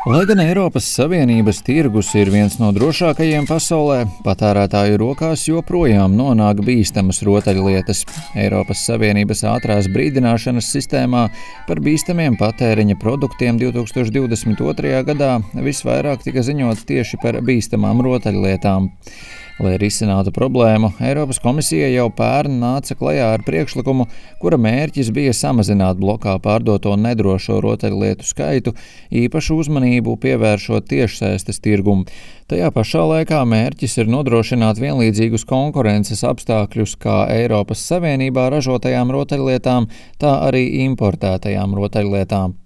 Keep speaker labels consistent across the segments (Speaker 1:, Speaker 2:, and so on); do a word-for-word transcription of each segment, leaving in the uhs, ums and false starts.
Speaker 1: Lai gan Eiropas Savienības tirgus ir viens no drošākajiem pasaulē, patērētāju rokās joprojām nonāk bīstamas rotaļlietas. Eiropas Savienības ātrās brīdināšanas sistēmā par bīstamiem patēriņa produktiem divtūkstoš divdesmit otrajā gadā visvairāk tika ziņots tieši par bīstamām rotaļlietām. Lai risinātu problēmu, Eiropas komisija jau pērn nāca klajā ar priekšlikumu, kura mērķis bija samazināt blokā pārdoto nedrošo rotaļlietu skaitu, īpašu uzmanību pievēršot tiešsaistes tirgumu. Tajā pašā laikā mērķis ir nodrošināt vienlīdzīgus konkurences apstākļus kā Eiropas Savienībā ražotajām rotaļlietām, tā arī importētajām rotaļlietām.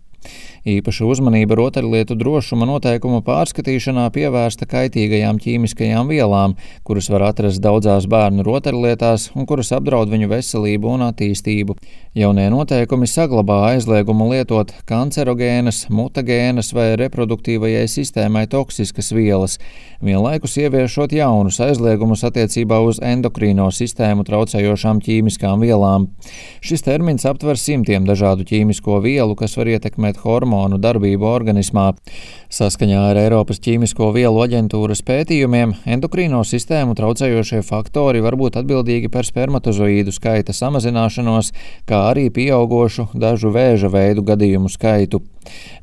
Speaker 1: Īpaša uzmanība rotaļlietu drošuma noteikumu pārskatīšanā pievērsta kaitīgajām ķīmiskajām vielām, kuras var atrast daudzās bērnu rotaļlietās un kuras apdraud viņu veselību un attīstību. Jaunie noteikumi saglabā aizliegumu lietot kancerogēnas, mutagēnas vai reproduktīvajai sistēmai toksiskas vielas, vienlaikus ieviešot jaunus aizliegumus attiecībā uz endokrīno sistēmu traucējošām ķīmiskām vielām. Šis termins aptver simtiem dažādu ķīmisko vielu, kas var ietekmēt hormonu darbību organismā. Saskaņā ar Eiropas ķīmisko vielu aģentūras pētījumiem, endokrīno sistēmu traucējošie faktori var būt atbildīgi par spermatozoīdu skaita samazināšanos, kā arī pieaugošu dažu vēža veidu gadījumu skaitu.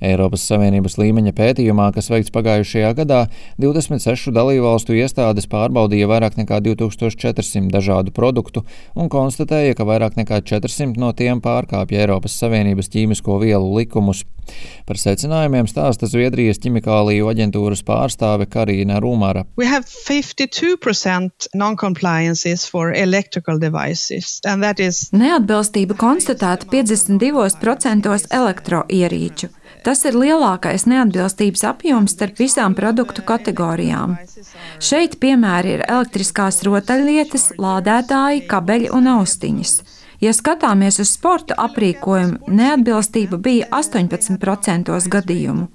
Speaker 1: Eiropas Savienības līmeņa pētījumā, kas veikts pagājušajā gadā, divdesmit sešu dalībvalstu iestādes pārbaudīja vairāk nekā divtūkstoš četrsimt dažādu produktu un konstatēja, ka vairāk nekā četrsimt no tiem pārkāpja Eiropas Savienības ķīmisko vielu likumus. Par secinājumiem stāsta Zviedrijas ķimikāliju aģentūras pārstāve Karīna Rumara.
Speaker 2: We have fifty-two percent non-compliances for electrical devices, and that is...
Speaker 3: Neatbilstība konstatēta piecdesmit divos procentos elektroierīču. Tas ir lielākais neatbilstības apjoms starp visām produktu kategorijām. Šeit piemēri ir elektriskās rotaļlietas, lādētāji, kabeļi un austiņas. Ja skatāmies uz sporta aprīkojumu, neatbilstība bija astoņpadsmit procentos gadījumu.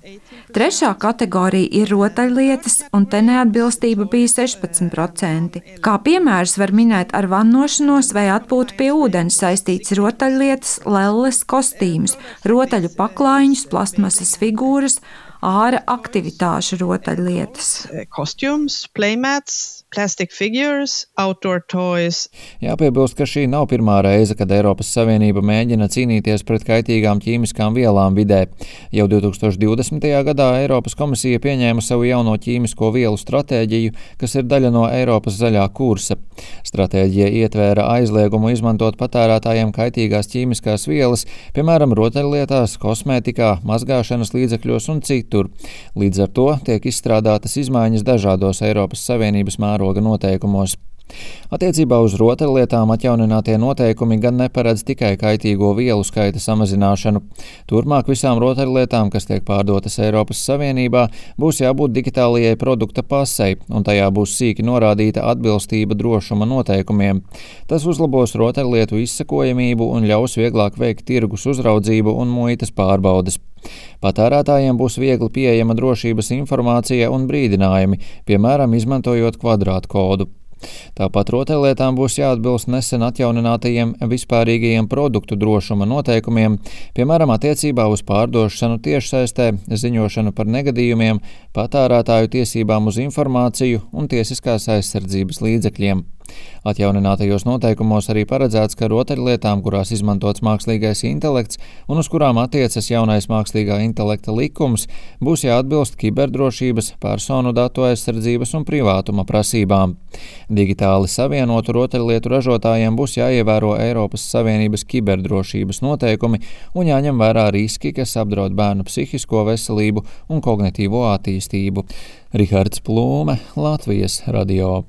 Speaker 3: Trešā kategorija ir rotaļlietas, un te neatbilstība bija sešpadsmit procenti. Kā piemērus var minēt ar vannošanos vai atpūtu pie ūdens saistītas rotaļlietas, lelles, kostīmus, rotaļu paklājiņus, plastmasas figūras, āra aktivitāšu rotaļlietas.
Speaker 2: Costumes, playmats, plastic figures, outdoor toys.
Speaker 1: Jāpiebilst, ka šī nav pirmā reize, kad Eiropas Savienība mēģina cīnīties pret kaitīgām ķīmiskām vielām vidē. Jau divtūkstoš divdesmitajā gadā Eiropas komisija pieņēma savu jauno ķīmisko vielu stratēģiju, kas ir daļa no Eiropas zaļā kursa. Stratēģija ietvēra aizliegumu izmantot patērētājiem kaitīgās ķīmiskās vielas, piemēram, rotaļlietās, kosmētikā, mazgāšanas līdzekļos un citu. Līdz ar to tiek izstrādātas izmaiņas dažādos Eiropas Savienības mēroga noteikumos. Attiecībā uz rotaļlietām atjauninātie noteikumi gan neparedz tikai kaitīgo vielu skaita samazināšanu. Turpmāk visām rotaļlietām, kas tiek pārdotas Eiropas Savienībā, būs jābūt digitālajai produkta pasei, un tajā būs sīki norādīta atbilstība drošuma noteikumiem. Tas uzlabos rotaļlietu izsekojamību un ļaus vieglāk veikt tirgus uzraudzību un muitas pārbaudes. Patērētājiem būs viegli pieejama drošības informācija un brīdinājumi, piemēram, izmantojot kvadrātkodu. Tāpat rotaļlietām būs jāatbilst nesen atjauninātajiem vispārīgajiem produktu drošuma noteikumiem, piemēram, attiecībā uz pārdošanu tiešsaistē, ziņošanu par negadījumiem, patērētāju tiesībām uz informāciju un tiesiskās aizsardzības līdzekļiem. Atjauninātajos noteikumos arī paredzēts, ka rotaļlietām, kurās izmantots mākslīgais intelekts un uz kurām attiecas jaunais mākslīgā intelekta likums, būs jāatbilst kiberdrošības, personu datu aizsardzības un privātuma prasībām. Digitāli savienotu rotaļlietu ražotājiem būs jāievēro Eiropas Savienības kiberdrošības noteikumi un jāņem vērā riski, kas apdraud bērnu psihisko veselību un kognitīvo attīstību. Rihards Plūme, Latvijas radio.